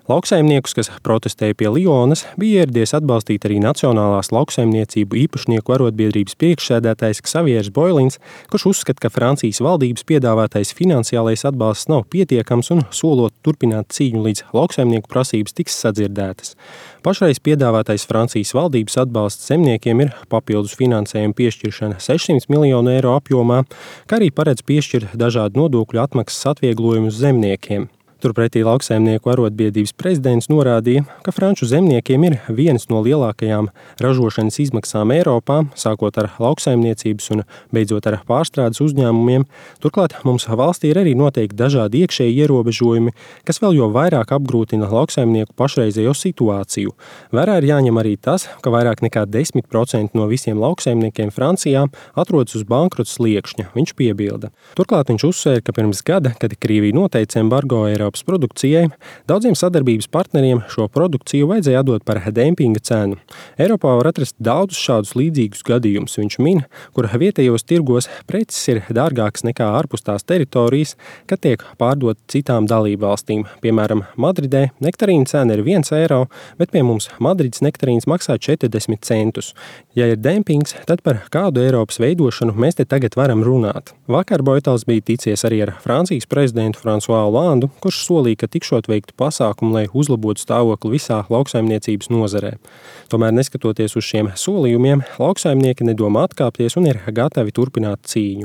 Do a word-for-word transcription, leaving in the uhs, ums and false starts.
Lauksaimniekus, kas protestēja pie Lionas, bija ieradies atbalstīt arī Nacionālās lauksaimniecību īpašnieku arotbiedrības priekšsēdētājs Ksavieris Boilins, kurš uzskata, ka Francijas valdības piedāvātais finansiālais atbalsts nav pietiekams un solot turpināt cīņu līdz lauksaimnieku prasības tiks sadzirdētas. Pašreiz piedāvātais Francijas valdības atbalsts zemniekiem ir papildus finansējuma piešķiršana sešsimt miljonu eiro apjomā, kā arī paredz piešķirt dažādu nodokļu atmaksas atvieglojumus zemniekiem. Turpretī lauksaimnieku arotbiedrības prezidents norādīja, ka franču zemniekiem ir vienas no lielākajām ražošanas izmaksām Eiropā, sākot ar lauksaimniecības un beidzot ar pārstrādes uzņēmumiem. Turklāt mums valstī ir arī noteikti dažādi iekšēji ierobežojumi, kas vēl jo vairāk apgrūtina lauksaimnieku pašreizējo situāciju. Vērā ir jāņem arī tas, ka vairāk nekā desmit procenti no visiem lauksaimniekiem Francijā atrodas uz bankrota sliekšņa, viņš piebilda. Turklāt viņš uzsvēra, ka pirms gada, kad Krievija noteica embargo Eiropā produkcijai, daudziem sadarbības partneriem šo produkciju vajadzēja atdot par dempinga cenu. Eiropā var atrast daudzus šādus līdzīgus gadījumus, viņš min, kur vietējos tirgos preces ir dārgākas nekā ārpus tās teritorijas, kad tiek pārdot citām dalībvalstīm. Piemēram, Madridē nektarīna cena ir viens eiro, bet pie mums Madrides nektarīns maksā četrdesmit centus. Ja ir dempings, tad par kādu Eiropas veidošanu mēs te tagad varam runāt. Vakar Boitels bija ticies arī ar Francijas prezidentu François Hollandu, kurš solīja, ka tikšot veiktu pasākumu, lai uzlabotu stāvokli visā lauksaimniecības nozarē. Tomēr, neskatoties uz šiem solījumiem, lauksaimnieki nedomā atkāpties un ir gatavi turpināt cīņu.